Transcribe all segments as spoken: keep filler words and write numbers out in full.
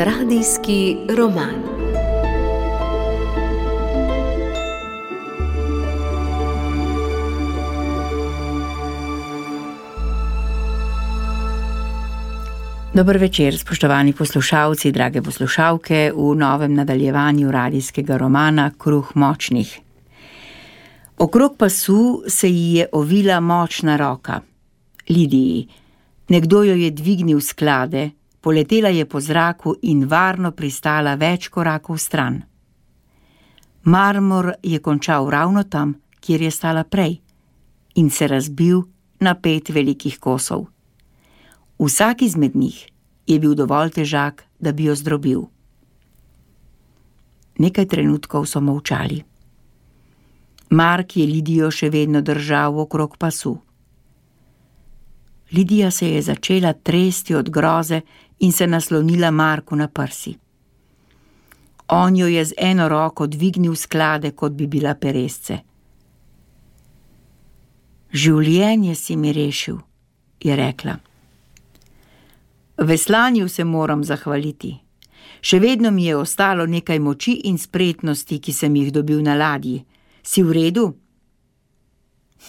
Radijski roman. Dober večer, spoštovani poslušalci, drage poslušalke, v novem nadaljevanju radijskega romana Kruh močnih. Okrog pasu se ji je ovila močna roka. Lidiji. Nekdo jo je dvignil s sklade, poletela je po zraku in varno pristala več korakov stran. Marmor je končal ravno tam, kjer je stala prej, in se razbil na pet velikih kosov. Vsak izmed njih je bil dovolj težak, da bi jo zdrobil. Nekaj trenutkov so molčali. Mark je Lidijo še vedno držal okrog pasu. Lidija se je začela tresti od groze in se naslonila Marku na prsi. On jo je z eno roko dvignil sklade, kot bi bila peresce. Življenje si mi rešil, je rekla. Veslanju se moram zahvaliti. Še vedno mi je ostalo nekaj moči in spretnosti, ki sem jih dobil na ladji. Si v redu?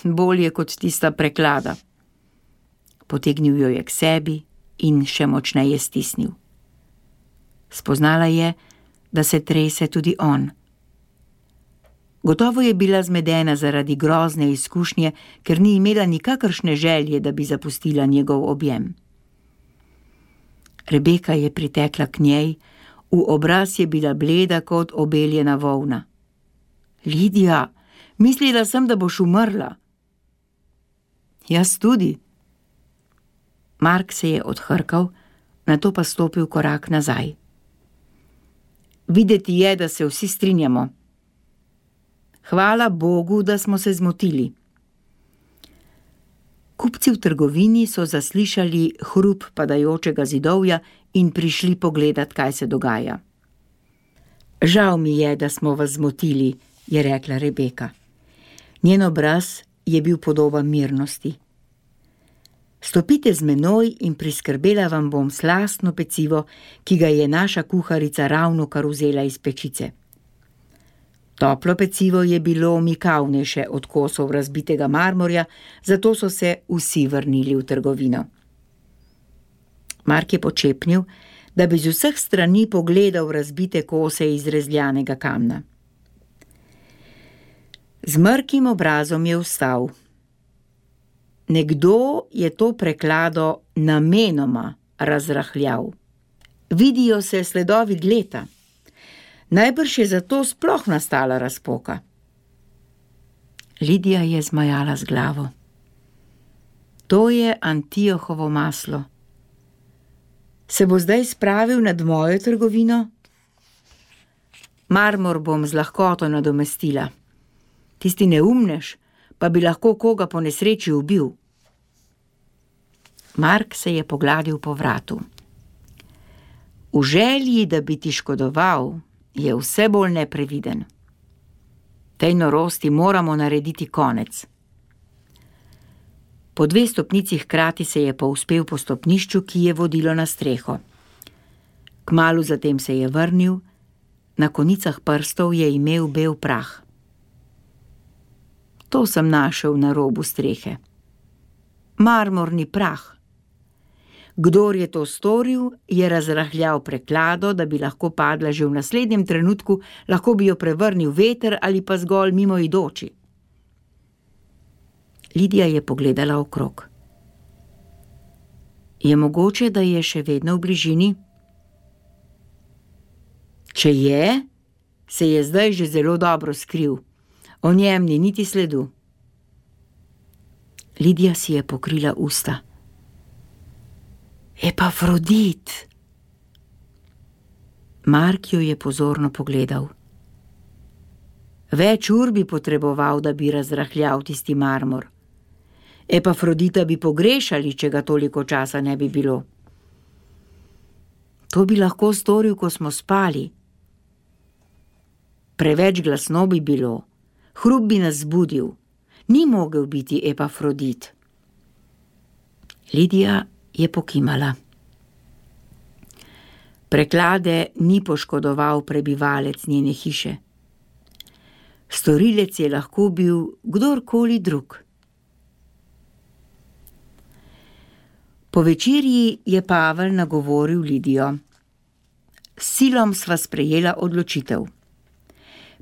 Bolje kot tista preklada. Potegnil jo je k sebi in še močneje stisnil. Spoznala je, da se trese tudi on. Gotovo je bila zmedena zaradi grozne izkušnje, ker ni imela nikakršne želje, da bi zapustila njegov objem. Rebeka je pritekla k njej, v obraz je bila bleda kot obeljena volna. Lidija, mislila sem, da boš umrla. Jaz tudi. Mark se je odhrkal, nato pa stopil korak nazaj. Videti je, da se vsi strinjamo. Hvala Bogu, da smo se zmotili. Kupci v trgovini so zaslišali hrup padajočega zidovja in prišli pogledat, kaj se dogaja. Žal mi je, da smo vas zmotili, je rekla Rebeka. Njen obraz je bil podoben mirnosti. Stopite z menoj in priskrbela vam bom slastno pecivo, ki ga je naša kuharica ravno kar vzela iz pečice. Toplo pecivo je bilo mikavnejše od kosov razbitega marmorja, zato so se vsi vrnili v trgovino. Mark je počepnil, da bi z vseh strani pogledal razbite kose iz rezljanega kamna. Z mrkim obrazom je vstal. Nekdo je to preklado namenoma razrahljal. Vidijo se sledovi dleta. Najbrž je zato sploh nastala razpoka. Lidija je zmajala z glavo. To je Antiohovo maslo. Se bo zdaj spravil nad mojo trgovino? Marmor bom z lahkoto nadomestila. Tisti neumnež pa bi lahko koga po nesreči ubil. Mark se je pogladil po vratu. V želji, da bi ti škodoval, je vse bolj nepreviden. Tej norosti moramo narediti konec. Po dve stopnici hkrati se je povzpel po stopnišču, ki je vodilo na streho. Kmalu zatem se je vrnil, na konicah prstov je imel bel prah. To sem našel na robu strehe. Marmorni prah. Kdor je to storil, je razrahljal preklado, da bi lahko padla že v naslednjem trenutku, lahko bi jo prevrnil veter ali pa zgolj mimoidoči. Lidija je pogledala okrog. Je mogoče, da je še vedno v bližini? Če je, se je zdaj že zelo dobro skril. O njem ni niti sledu. Lidija si je pokrila usta. Epafrodit! Mark jo je pozorno pogledal. Več ur bi potreboval, da bi razrahljal tisti marmor. Epafrodita bi pogrešali, če ga toliko časa ne bi bilo. To bi lahko storil, ko smo spali. Preveč glasno bi bilo. Hrup bi nas zbudil. Ni mogel biti Epafrodit. Lidija je pokimala. Preklade ni poškodoval prebivalec njene hiše. Storilec je lahko bil kdorkoli drug. Po večerji je Pavel nagovoril Lidijo. S silom sva sprejela odločitev.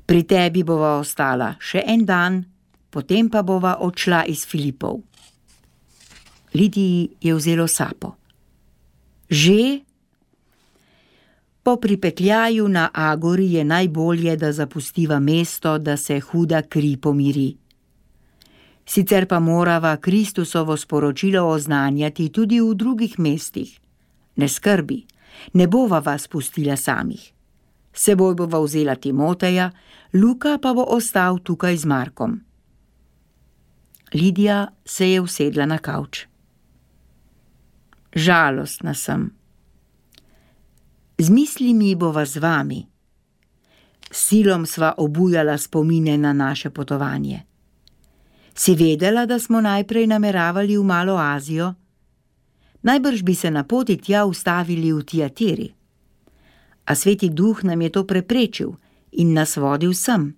Pri tebi bova ostala še en dan, potem pa bova odšla iz Filipov. Lidiji je vzelo sapo. Že? Po pripetljaju na Agori je najbolje, da zapustiva mesto, da se huda kri pomiri. Sicer pa morava Kristusovo sporočilo oznanjati tudi v drugih mestih. Ne skrbi, ne bova vas pustila samih. Seboj bova vzela Timoteja, Luka pa bo ostal tukaj z Markom. Lidija se je usedla na kavč. Žalostna sem. Z mislimi bova z vami. Silom sva obujala spomine na naše potovanje. Si vedela, da smo najprej nameravali v Malo Azijo? Najbrž bi se na poti tja ustavili v Tiatiri. A Sveti Duh nam je to preprečil in nas vodil sem,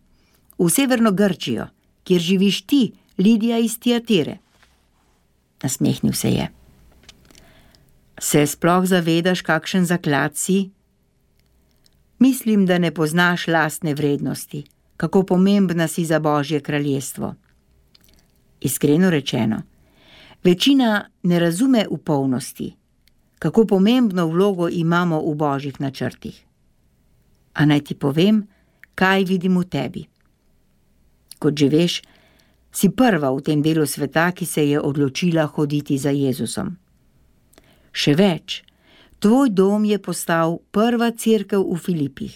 v severno Grčijo, kjer živiš ti, Lidija iz Tiatire. Nasmehnil se je. Se sploh zavedaš, kakšen zaklad si? Mislim, da ne poznaš lastne vrednosti, kako pomembna si za Božje kraljestvo. Iskreno rečeno, večina ne razume v polnosti, kako pomembno vlogo imamo v Božjih načrtih. A naj ti povem, kaj vidim v tebi. Kot že veš, si prva v tem delu sveta, ki se je odločila hoditi za Jezusom. Še več, tvoj dom je postal prva cerkev v Filipih.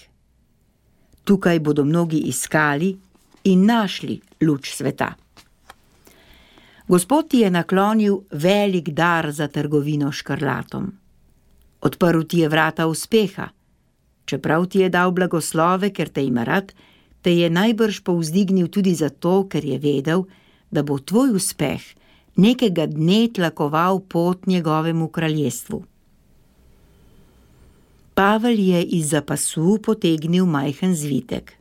Tukaj bodo mnogi iskali in našli luč sveta. Gospod ti je naklonil velik dar za trgovino s škrlatom. Odprl ti je vrata uspeha. Čeprav ti je dal blagoslove, ker te ima rad, te je najbrž povzdignil tudi zato, ker je vedel, da bo tvoj uspeh nekega dne tlakoval pot njegovemu kraljestvu. Pavel je izza pasu potegnil majhen zvitek.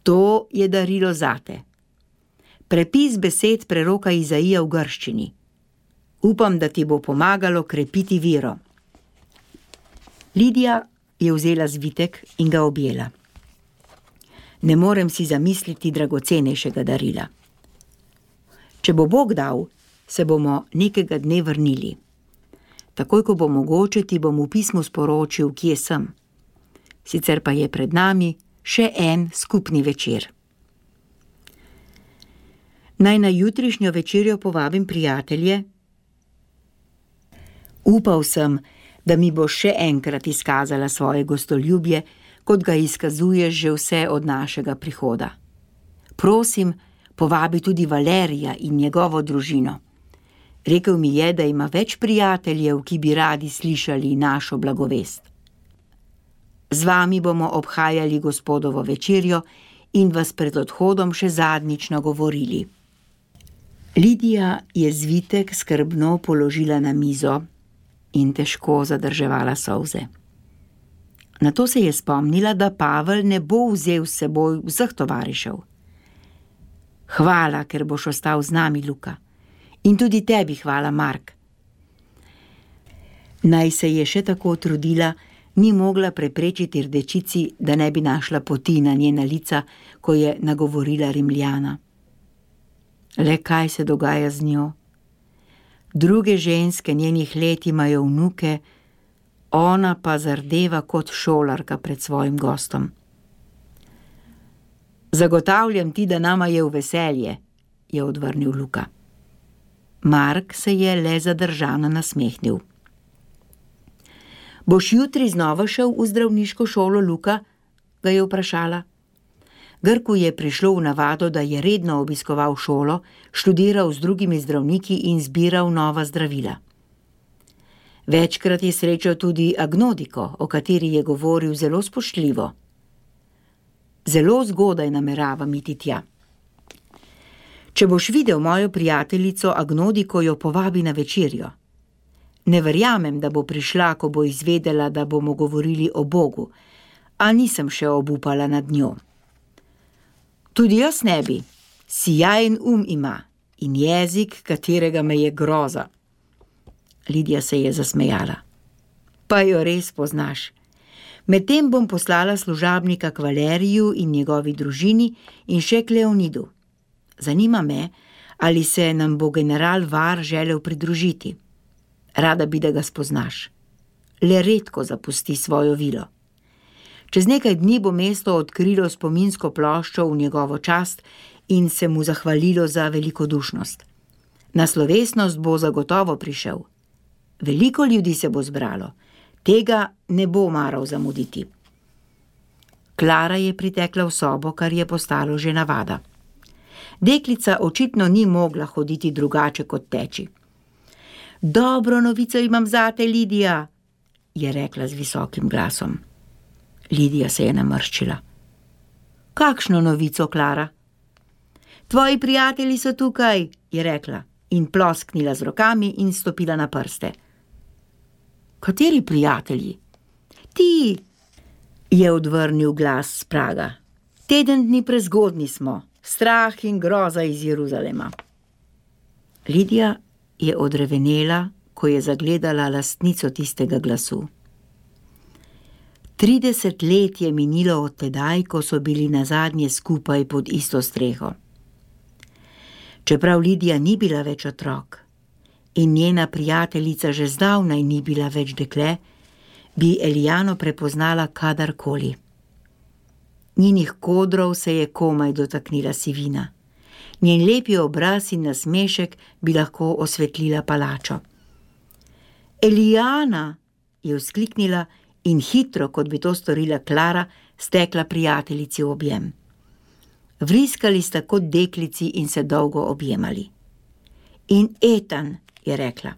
To je darilo zate. Prepis besed preroka Izaija v grščini. Upam, da ti bo pomagalo krepiti vero. Lidija je vzela zvitek in ga objela. Ne morem si zamisliti dragocenejšega darila. Če bo Bog dal, se bomo nekega dne vrnili. Takoj, ko bo mogoče, ti bom v pismu sporočil, kje sem. Sicer pa je pred nami še en skupni večer. Naj na jutrišnjo večerjo povabim prijatelje? Upal sem, da mi bo še enkrat izkazala svoje gostoljubje, kot ga izkazuješ že vse od našega prihoda. Prosim, povabi tudi Valerija in njegovo družino. Rekel mi je, da ima več prijateljev, ki bi radi slišali našo blagovest. Z vami bomo obhajali Gospodovo večerjo in vas pred odhodom še zadnjič nagovorili. Lidija je zvitek skrbno položila na mizo in težko zadrževala solze. Nato se je spomnila, da Pavel ne bo vzel s seboj vseh tovarišev. Hvala, ker boš ostal z nami, Luka. In tudi tebi hvala, Mark. Naj se je še tako trudila, ni mogla preprečiti rdečici, da ne bi našla poti na njena lica, ko je nagovorila Rimljana. Le kaj se dogaja z njo? Druge ženske njenih let imajo vnuke, ona pa zardeva kot šolarka pred svojim gostom. Zagotavljam ti, da nama je v veselje, je odvrnil Luka. Mark se je le zadržano nasmehnil. Boš jutri znova šel v zdravniško šolo, Luka? Ga je vprašala. Grku je prišlo v navado, da je redno obiskoval šolo, študiral z drugimi zdravniki in zbiral nova zdravila. Večkrat je srečal tudi Agnodiko, o kateri je govoril zelo spoštljivo. Zelo zgodaj nameravam iti tja. Če boš videl mojo prijateljico Agnodiko, jo povabi na večerjo. Ne verjamem, da bo prišla, ko bo izvedela, da bomo govorili o Bogu, a nisem še obupala nad njo. Tudi jaz ne bi, sijajen um ima in jezik, katerega me je groza. Lidija se je zasmejala. Pa jo res poznaš. Medtem bom poslala služabnika k Valeriju in njegovi družini in še k Leonidu. Zanima me, ali se nam bo general Var želel pridružiti. Rada bi, da ga spoznaš. Le redko zapusti svojo vilo. Čez nekaj dni bo mesto odkrilo spominsko ploščo v njegovo čast in se mu zahvalilo za velikodušnost. Na slovesnost bo zagotovo prišel. Veliko ljudi se bo zbralo. Tega ne bo maral zamuditi. Klara je pritekla v sobo, kar je postalo že navada. Deklica očitno ni mogla hoditi drugače kot teči. Dobro novico imam zate, Lidija, je rekla z visokim glasom. Lidija se je namrščila. Kakšno novico, Klara? Tvoji prijatelji so tukaj, je rekla in plosknila z rokami in stopila na prste. Kateri prijatelji? Ti, je odvrnil glas s praga. Teden dni prezgodni smo, strah in groza iz Jeruzalema. Lidija je odrevenela, ko je zagledala lastnico tistega glasu. Trideset let je minilo od tedaj, ko so bili nazadnje skupaj pod isto streho. Čeprav Lidija ni bila več otrok in njena prijateljica že zdavnaj ni bila več dekle, bi Elijano prepoznala kadarkoli. Njenih kodrov se je komaj dotaknila sivina. Njen lepi obraz in nasmešek bi lahko osvetlila palačo. Elijana, je vzkliknila in hitro, kot bi to storila Klara, stekla prijateljici v objem. Vriskali sta kot deklici in se dolgo objemali. In Etan, je rekla.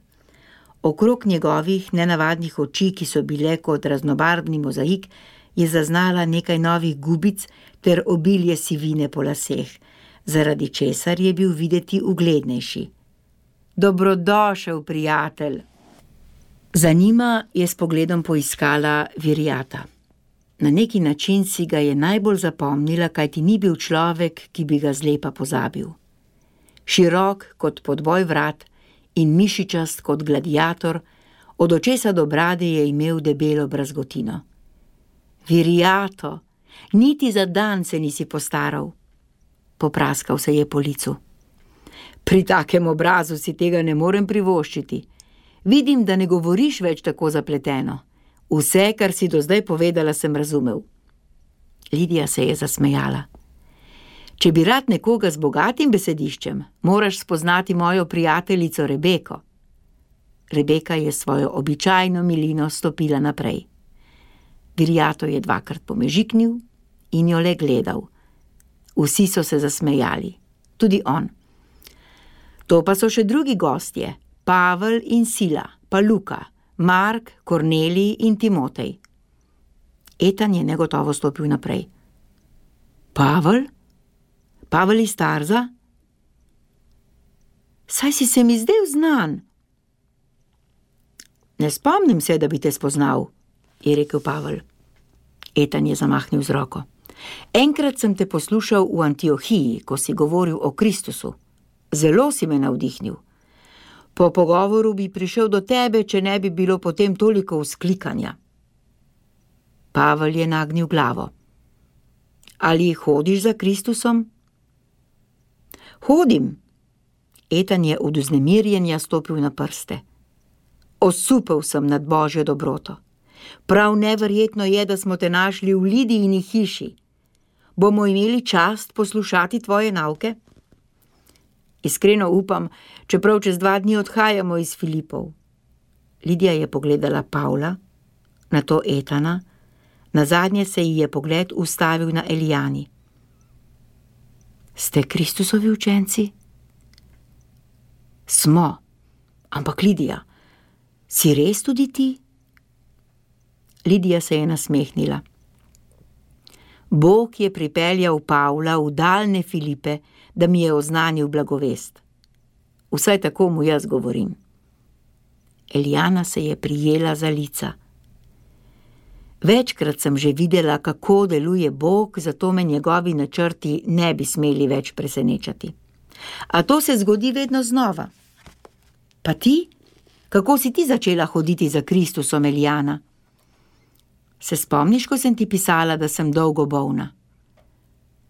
Okrog njegovih nenavadnih oči, ki so bile kot raznobarvni mozaik, je zaznala nekaj novih gubic ter obilje sivine po laseh, zaradi česar je bil videti uglednejši. Dobrodošel, prijatelj. Za njima je s pogledom poiskala Virijata. Na neki način si ga je najbolj zapomnila, kajti ni bil človek, ki bi ga zlepa pozabil. Širok kot podboj vrat in mišičast kot gladiator, od očesa do brade je imel debelo brazgotino. Virijato, niti za dan se nisi postaral. Popraskal se je po licu. Pri takem obrazu si tega ne morem privoščiti. Vidim, da ne govoriš več tako zapleteno. Vse, kar si do zdaj povedala, sem razumel. Lidija se je zasmejala. Če bi rad nekoga z bogatim besediščem, moraš spoznati mojo prijateljico Rebeko. Rebeka je svojo običajno milino stopila naprej. Virijato je dvakrat pomežiknil in jo le gledal. Vsi so se zasmejali, tudi on. To pa so še drugi gostje, Pavel in Sila, pa Luka, Mark, Kornelij in Timotej. Etan je negotovo stopil naprej. Pavel? Pavel iz Tarza? Saj si se mi zdel znan. Ne spomnim se, da bi te spoznal, je rekel Pavel. Etan je zamahnil z roko. Enkrat sem te poslušal v Antiohiji, ko si govoril o Kristusu. Zelo si me navdihnil. Po pogovoru bi prišel do tebe, če ne bi bilo potem toliko vzklikanja. Pavel je nagnil glavo. Ali hodiš za Kristusom? Hodim. Etan je od vznemirjenja stopil na prste. Osupel sem nad Božjo dobroto. Prav neverjetno je, da smo te našli v Lidijini hiši. Bomo imeli čast poslušati tvoje nauke? Iskreno upam, čeprav čez dva dni odhajamo iz Filipov. Lidija je pogledala Pavla, nato Etana, nazadnje se ji je pogled ustavil na Elijani. Ste Kristusovi učenci? Smo, ampak Lidija, si res tudi ti? Lidija se je nasmehnila. Bog je pripeljal Pavla v daljne Filipe, da mi je oznanil blagovest. Vsaj tako mu jaz govorim. Elijana se je prijela za lica. Večkrat sem že videla, kako deluje Bog, zato me njegovi načrti ne bi smeli več presenečati. A to se zgodi vedno znova. Pa ti? Kako si ti začela hoditi za Kristusom, Elijana? Se spomniš, ko sem ti pisala, da sem dolgo bolna?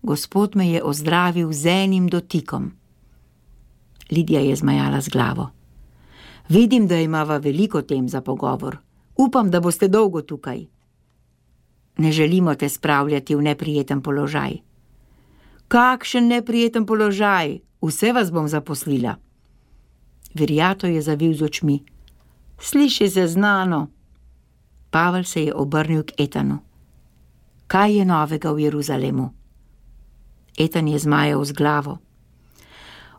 Gospod me je ozdravil z enim dotikom. Lidija je zmajala z glavo. Vidim, da imava veliko tem za pogovor. Upam, da boste dolgo tukaj. Ne želimo te spravljati v neprijeten položaj. Kakšen neprijeten položaj? Vse vas bom zaposlila. Virjato je zavil z očmi. Sliši se znano. Pavel se je obrnil k Etanu. Kaj je novega v Jeruzalemu? Etan je zmajal z glavo.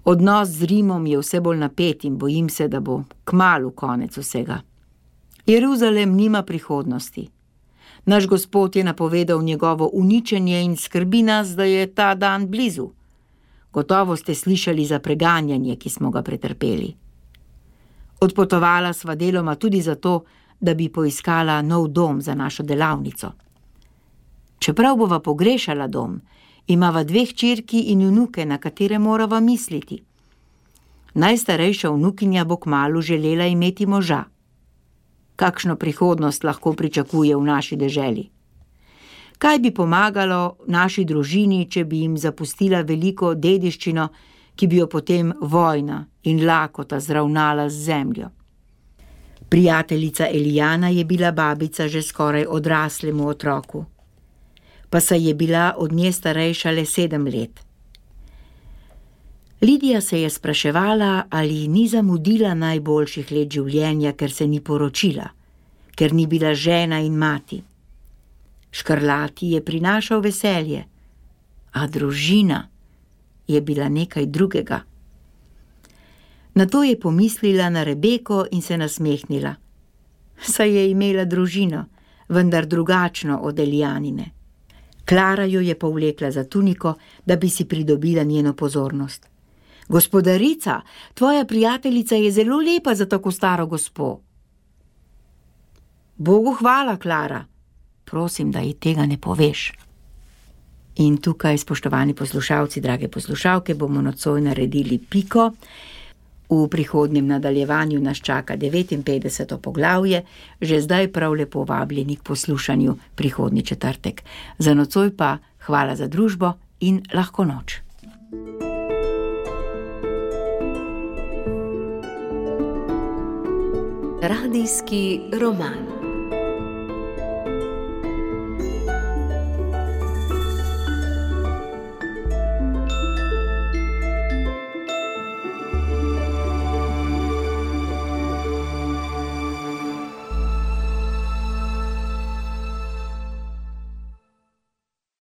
Odnos z Rimom je vse bolj napet in bojim se, da bo kmalu konec vsega. Jeruzalem nima prihodnosti. Naš Gospod je napovedal njegovo uničenje in skrbi nas, da je ta dan blizu. Gotovo ste slišali za preganjanje, ki smo ga pretrpeli. Odpotovala sva deloma tudi zato, da bi poiskala nov dom za našo delavnico. Čeprav bova pogrešala dom, imava dve hčerki in vnuke, na katere morava misliti. Najstarejša vnukinja bo kmalu želela imeti moža. Kakšno prihodnost lahko pričakuje v naši deželi? Kaj bi pomagalo naši družini, če bi jim zapustila veliko dediščino, ki bi jo potem vojna in lakota zravnala z zemljo? Prijateljica Elijana je bila babica že skoraj odraslemu otroku, pa saj je bila od nje starejša le sedem let. Lidija se je spraševala, ali ni zamudila najboljših let življenja, ker se ni poročila, ker ni bila žena in mati. Škrlati je prinašal veselje, a družina je bila nekaj drugega. Nato je pomislila na Rebeko in se nasmehnila. Saj je imela družino, vendar drugačno od Elijanine. Klara jo je povlekla za tuniko, da bi si pridobila njeno pozornost. Gospodarica, tvoja prijateljica je zelo lepa za tako staro gospo. Bogu hvala, Klara. Prosim, da ji tega ne poveš. In tukaj, spoštovani poslušalci, drage poslušalke, bomo nocoj naredili piko. V prihodnjem nadaljevanju nas čaka devetinpetdeseto poglavje, že zdaj prav lepo vabljeni k poslušanju prihodnji četrtek. Za nocoj pa hvala za družbo in lahko noč. Radijski roman.